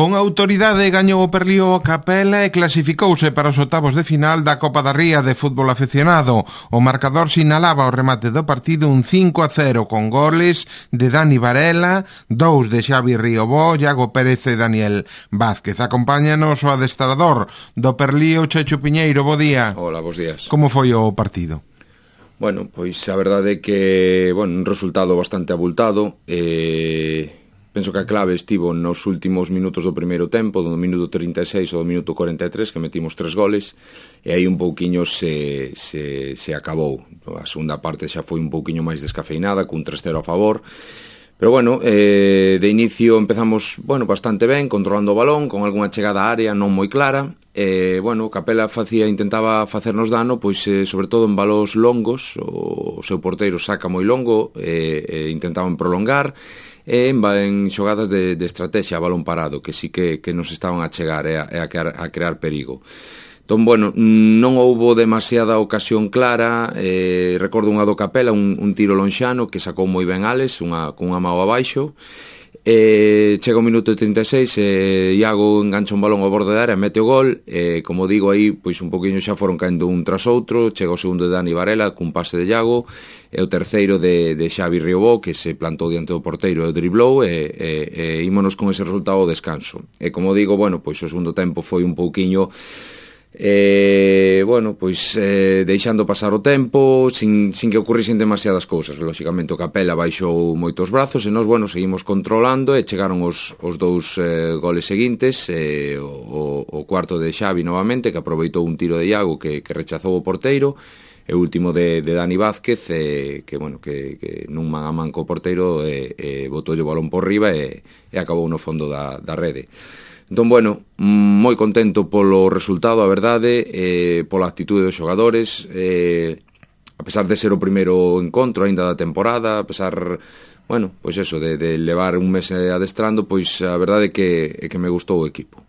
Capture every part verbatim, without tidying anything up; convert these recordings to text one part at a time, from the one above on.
Con autoridade gañou o Perlío a Capela e clasificouse para os octavos de final da Copa da Ría de fútbol aficionado. O marcador sinalaba o remate do partido un cinco a cero con goles de Dani Varela, dous de Xavi Riobó, Iago Pérez e Daniel Vázquez. Acompáñanos o adestrador do Perlío, Checho Piñeiro. Bo día. Hola, bos días. Como foi o partido? Bueno, pois a verdade é que, bueno, un resultado bastante abultado. Eh... Penso que a clave estivo nos últimos minutos do primeiro tempo, do minuto trinta e seis ao do minuto cuarenta e tres, que metimos tres goles, e aí un pouquiño se, se, se acabou. A segunda parte xa foi un pouquiño máis descafeinada, cun tres cero a favor. Pero bueno, eh, de inicio empezamos, bueno, bastante ben, controlando o balón, con algunha chegada á área non moi clara. Eh, bueno, Capela facía, intentaba facernos dano, pois eh, sobre todo en balóns longos, o, o seu porteiro saca moi longo, eh, eh, intentaban prolongar, e en, en xogadas de, de estrategia a balón parado, que sí que, que nos estaban a chegar e a, a, crear, a crear perigo. Entón, bueno, non houbo demasiada ocasión clara. eh, recordo unha do Capela, un, un tiro lonxano que sacou moi ben Alex, unha, con unha mao abaixo. Eh, chega o minuto trinta e seis, eh, Iago engancha un balón ao borde da área, mete o gol. eh, como digo aí, pois un poquinho xa foron caendo un tras outro. Chega o segundo de Dani Varela cun pase de Iago, e o terceiro de, de Xavi Riobó, que se plantou diante do porteiro e o driblou, e, e, e ímonos con ese resultado ao descanso. E como digo, bueno, pois o segundo tempo foi un pouquiño Eh, bueno, pois eh, deixando pasar o tempo sin, sin que ocurrisen demasiadas cousas. Lóxicamente o Capela baixou moitos brazos e nós, bueno, seguimos controlando, e chegaron os, os dous eh, goles seguintes. eh, o, o cuarto de Xavi novamente, que aproveitou un tiro de Iago que, que rechazou o porteiro, e o último de, de Dani Vázquez, eh, que, bueno, que, que nun man a man co porteiro eh, eh, botou o balón por riba e, e acabou no fondo da, da rede. Entón, bueno, moi contento polo resultado, a verdade, eh, pola actitude dos xogadores, eh, a pesar de ser o primeiro encontro aínda da temporada, a pesar, bueno, pois eso, de, de levar un mes adestrando, pois a verdade é que, é que me gustou o equipo.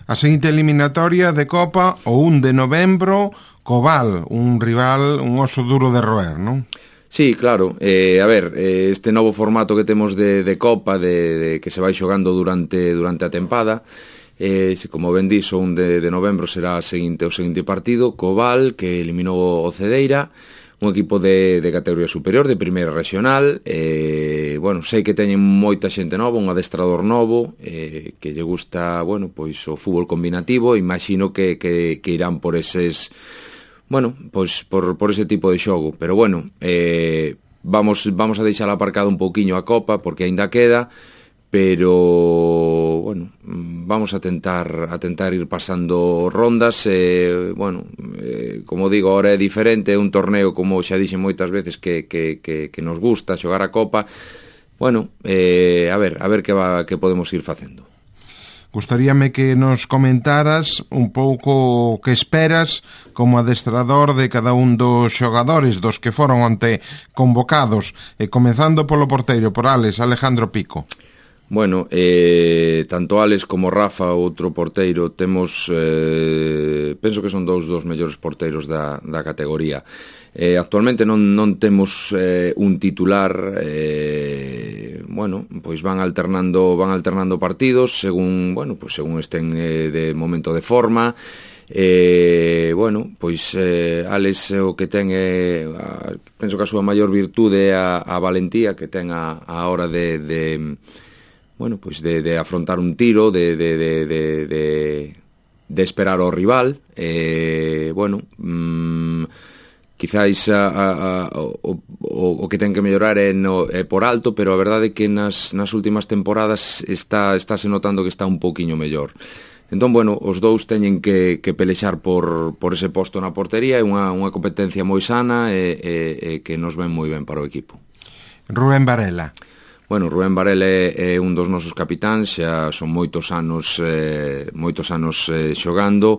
A seguinte eliminatoria de Copa, o un de novembro, Cobal, un rival, un oso duro de roer, non? Sí, claro, eh, a ver, eh, este novo formato que temos de, de Copa, de, de que se vai xogando durante durante a tempada, eh, como ben dixo, un de, de novembro será o seguinte, o seguinte partido, Cobal, que eliminou o Cedeira, un equipo de, de categoría superior, de primeira regional. eh, bueno, sei que teñen moita xente nova, un adestrador novo, eh, que lle gusta, bueno, pois o fútbol combinativo, imagino que, que, que irán por eses... Bueno, pois por, por ese tipo de xogo, pero bueno, eh, vamos vamos a deixar aparcado un pouquiño a Copa porque aínda queda, pero bueno, vamos a tentar a tentar ir pasando rondas. eh, bueno, eh, como digo, ahora é diferente, é un torneo, como xa dixen moitas veces, que, que, que, que nos gusta xogar a Copa. Bueno, eh, a ver, a ver que va, que podemos ir facendo. Gustaríame que nos comentaras un pouco que esperas como adestrador de cada un dos xogadores dos que foron onte convocados, e comezando polo porteiro, por Alex, Alejandro Pico. Bueno, eh, tanto Alex como Rafa, outro porteiro, temos, eh, penso que son dous dos mellores porteiros da, da categoría. Eh, actualmente non, non temos eh, un titular. eh, bueno, pois van alternando van alternando partidos según, bueno, pois según estén eh, de momento de forma. Eh, bueno, pois eh, Alex o que ten é, a, penso que a súa maior virtude é a, a valentía que ten a, a hora de, de bueno, pois de, de afrontar un tiro, de, de, de, de, de, de esperar ao rival. Eh, bueno, mmm, quizáis a, a, a, o, o, o que ten que mellorar é, no, é por alto, pero a verdade é que nas, nas últimas temporadas está estáse notando que está un pouquiño mellor. Entón, bueno, os dous teñen que, que pelexar por, por ese posto na portería. É unha, unha competencia moi sana e, e, e que nos ven moi ben para o equipo. Rubén Varela. Bueno, Rubén Varela é, é un dos nosos capitáns, xa son moitos anos eh, moitos anos eh, xogando.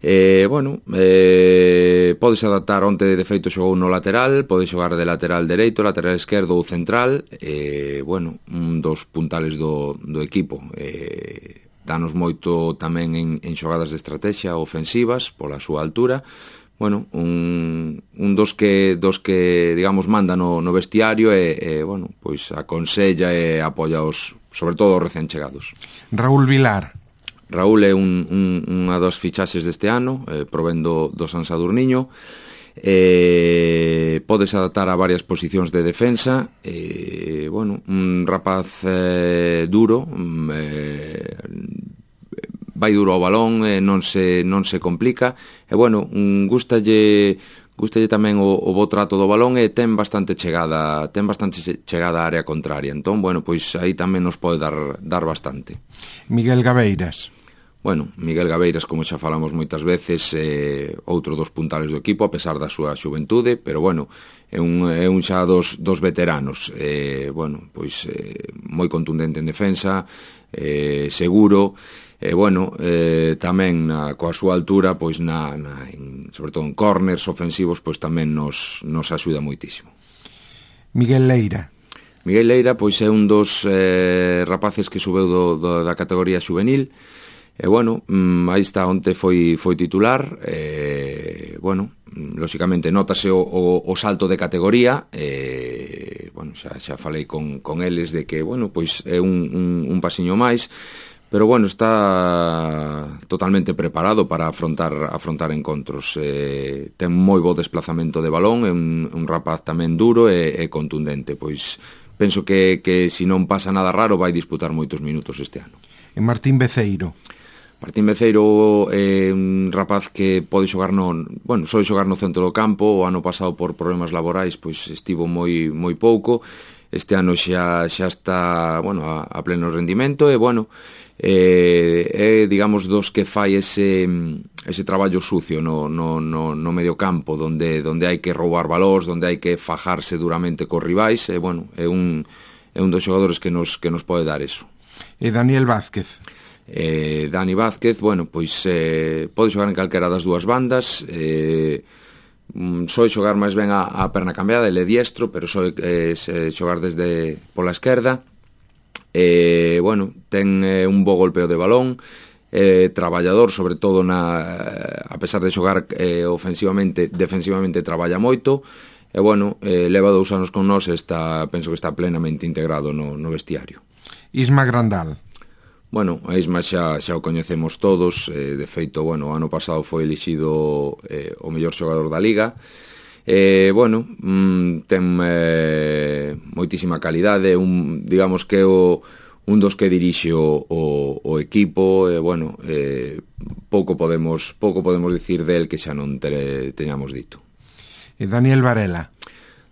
Eh, bueno, eh, podes adaptar. Onte de feito xogou no lateral, pode xogar de lateral dereito, lateral esquerdo ou central. eh, Bueno, un dos puntales do, do equipo. eh, Danos moito tamén en, en xogadas de estrategia ofensivas pola súa altura. Bueno, un, un dos que dos que digamos manda no, no vestiario e, e bueno, pois aconsella e apoia os, sobre todo os recén chegados. Raúl Vilar. Raúl é un, un, unha das fichaxes deste ano, eh, provendo do San Sadurniño. Eh, podes adaptar a varias posicións de defensa. Eh, bueno, un rapaz eh, duro, eh, vai duro ao balón, eh, non se non se complica. E bueno, un gustalle gustalle tamén o, o bo trato do balón e ten bastante chegada, ten bastante chegada á área contraria. Entón, bueno, pois aí tamén nos pode dar dar bastante. Miguel Gabeiras. Bueno, Miguel Gabeiras, como xa falamos moitas veces, é outro dos puntales do equipo, a pesar da súa xuventude, pero bueno, é un, é un xa dos, dos veteranos. Eh, bueno, pois eh, moi contundente en defensa, eh, seguro, e eh, bueno, eh, tamén na, coa súa altura, pois na, na en, sobre todo en corners ofensivos, pois tamén nos, nos axuda moitísimo. Miguel Leira. Miguel Leira, pois é un dos eh, rapaces que subeu do, do, da categoría xuvenil. E bueno, mmm, aí está, onte foi foi titular. E bueno, lóxicamente notase o, o, o salto de categoría. E bueno, xa, xa falei con, con eles de que, bueno, pois é un, un, un pasiño máis, pero bueno, está totalmente preparado para afrontar afrontar encontros. Eh, ten moi bo desplazamento de balón, é un, un rapaz tamén duro e, e contundente. Pois penso que, que se non pasa nada raro vai disputar moitos minutos este ano. E Martín Beceiro. Martín Beceiro é un rapaz que pode xogar no, bueno, só xogar no centro do campo. O ano pasado por problemas laborais pois estivo moi moi pouco. Este ano xa xa está, bueno, a, a pleno rendimento e bueno, é, é digamos dos que fai ese ese traballo sucio no no no no medio campo, onde onde hai que roubar valores, onde hai que fajarse duramente cos rivais, e bueno, é un é un dos xogadores que nos que nos pode dar eso. E Daniel Vázquez. Eh, Dani Vázquez, bueno, pois eh, pode xogar en calquera das dúas bandas. eh, Soe xogar máis ben a, a perna cambiada, ele é diestro, pero soe eh, xogar desde pola esquerda. eh, Bueno, ten eh, un bo golpeo de balón, eh, traballador, sobre todo na, a pesar de xogar eh, ofensivamente, defensivamente traballa moito. E bueno, eh, leva dous anos con nós e está, penso que está plenamente integrado no, no vestiario. Isma Grandal. Bueno, a Isma xa, xa o coñecemos todos. eh, De feito, bueno, o ano pasado foi elixido eh, o mellor xogador da Liga. eh, Bueno, mm, ten eh, moitísima calidade. un, Digamos que é o, un dos que dirixe o, o, o equipo. E bueno, eh, pouco podemos pouco podemos dicir del que xa non te, teñamos dito. E Daniel Varela.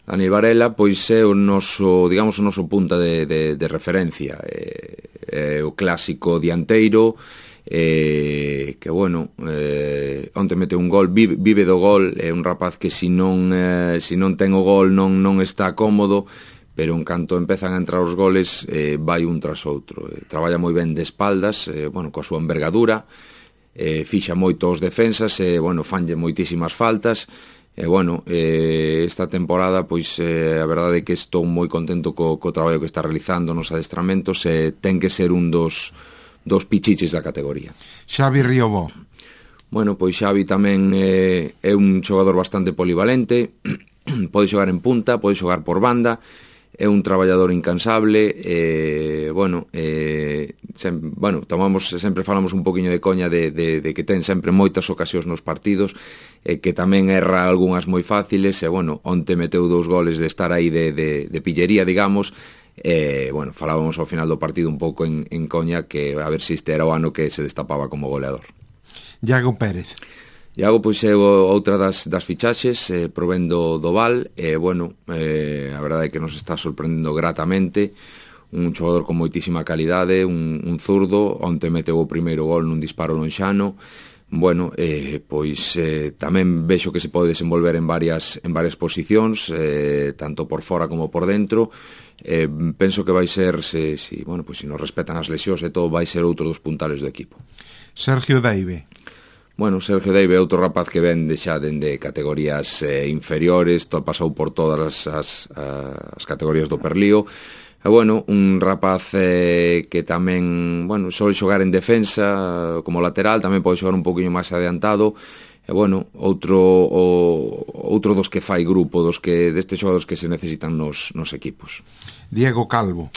Daniel Varela, pois é o noso, digamos, o noso punta de, de, de referencia. É, é o clásico dianteiro, eh, que, bueno, eh, onte mete un gol, vive, vive do gol. É un rapaz que se non, eh, se non ten o gol non, non está cómodo, pero en canto empezan a entrar os goles, eh, vai un tras outro. Eh, traballa moi ben de espaldas, eh, bueno, coa súa envergadura, eh, fixa moito os defensas, e, eh, bueno, fanlle moitísimas faltas. E, bueno, eh, esta temporada, pois, eh, a verdade é que estou moi contento co, co traballo que está realizando nos adestramentos, e ten que ser un dos, dos pichiches da categoría. Xavi Riobó. Bueno, pois Xavi tamén eh, é un xogador bastante polivalente, pode xogar en punta, pode xogar por banda, é un traballador incansable. eh, bueno, eh, sem, bueno, tomamos, sempre falamos un poquinho de coña de, de, de que ten sempre moitas ocasións nos partidos, e eh, que tamén erra algunhas moi fáciles, e bueno, onte meteu dous goles de estar aí de, de, de pillería, digamos. E eh, bueno, falábamos ao final do partido un pouco en, en coña que a ver se este era o ano que se destapaba como goleador. Iago Pérez. Iago, pois, é outra das, das fichaxes, eh, provendo do Val. E, eh, bueno, eh, a verdade é que nos está sorprendendo gratamente. Un xogador con moitísima calidade, un, un zurdo, onte meteu o primeiro gol nun disparo lonxano. Bueno, eh, pois eh, tamén vexo que se pode desenvolver en varias, en varias posicións, eh, tanto por fora como por dentro. Eh, penso que vai ser, se, si, bueno, pois, se nos respetan as lesións e todo, vai ser outro dos puntales do equipo. Sergio Deive. Bueno, Sergio Deive é outro rapaz que ven de xa dende categorías eh, inferiores, to, pasou por todas as, as, as categorías do Perlío. E, bueno, un rapaz eh, que tamén, bueno, só xogar en defensa como lateral, tamén pode xogar un poquinho máis adiantado. E, bueno, outro o, outro dos que fai grupo, dos que destes xogadores que se necesitan nos, nos equipos. Diego Calvo.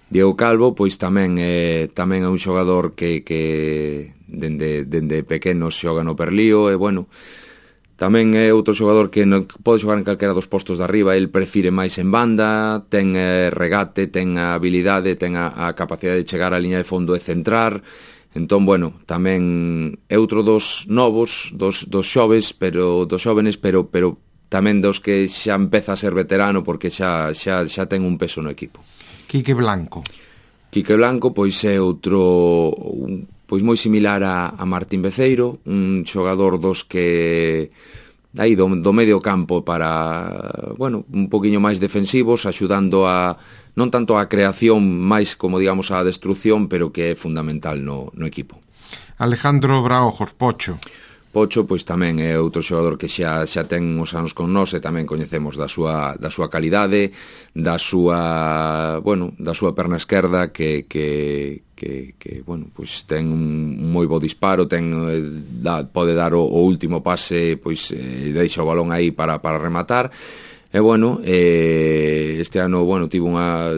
Diego Calvo, pois tamén é, tamén é un xogador que, que dende, dende pequeno xoga no Perlío, e bueno, tamén é outro xogador que non pode xogar en calquera dos postos de arriba, el prefire máis en banda, ten eh, regate, ten a habilidade, ten a, a capacidade de chegar á liña de fondo e centrar. Entón, bueno, tamén é outro dos novos, dos, dos xoves, pero dos xóvenes, pero pero tamén dos que xa empeza a ser veterano porque xa xa xa ten un peso no equipo. Quique Blanco. Quique Blanco, pois é outro, un, pois moi similar a, a Martín Beceiro, un xogador dos que aí do, do medio campo para, bueno, un poquinho máis defensivos, axudando a non tanto a creación, máis como digamos a destrucción, pero que é fundamental no, no equipo. Alejandro Braojos, Pocho. Pocho, pois tamén é outro xogador que xa xa ten uns anos con nós e tamén coñecemos da súa da súa calidade, da súa, bueno, da súa perna esquerda que que que que bueno, pois ten un moi bo disparo, ten da, pode dar o, o último pase, pois eh, deixa o balón aí para para rematar. E bueno, eh, este ano, bueno, tivo unha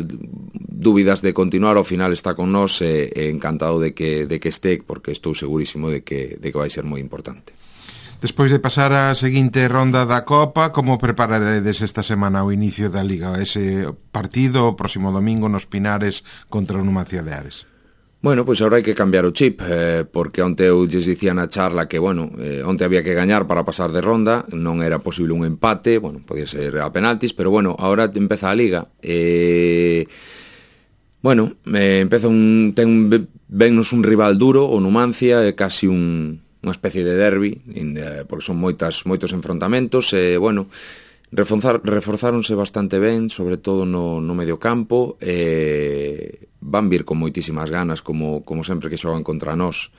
dúbidas de continuar, ao final está con nós e, e encantado de que, de que este, porque estou segurísimo de que, de que vai ser moi importante. Despois de pasar a seguinte ronda da Copa, como prepararedes esta semana o inicio da Liga? Ese partido o próximo domingo nos Pinares contra o Numancia de Ares. Bueno, pois agora hai que cambiar o chip, eh, porque onte eu lles dicía na charla que, bueno, eh, onte había que gañar para pasar de ronda, non era posible un empate, bueno, podía ser a penaltis, pero bueno, agora empeza a Liga, e... Eh, Bueno, eh, empeza un, ten un, vennos un rival duro, o Numancia, é casi un, unha especie de derbi, porque son moitas, moitos enfrontamentos, e, bueno, reforzar, reforzáronse bastante ben, sobre todo no, no medio campo, e van vir con moitísimas ganas, como, como sempre que xogan contra nós.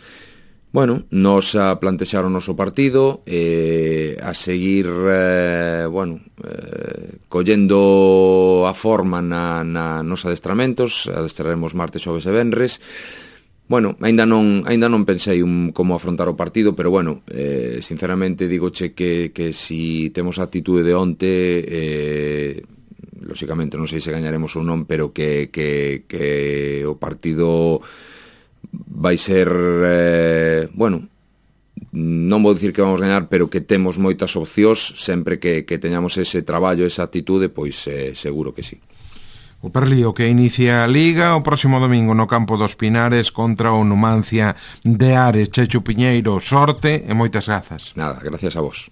Bueno, nos a plantexar o noso partido, eh, a seguir, eh, bueno, eh, collendo a forma na, na nos adestramentos, adestraremos martes, xoves e venres. Bueno, aínda non aínda non pensei un, como afrontar o partido, pero bueno, eh, sinceramente digoche que, que si temos a actitude de onte, eh, lóxicamente non sei se gañaremos ou non, pero que, que, que o partido vai ser, eh, bueno, non vou dicir que vamos gañar, pero que temos moitas opcións, sempre que, que teñamos ese traballo, esa actitude, pois eh, seguro que sí. O Perlío que inicia a Liga o próximo domingo no campo dos Pinares contra o Numancia de Ares. Chechu Piñeiro, sorte e moitas grazas. Nada, gracias a vos.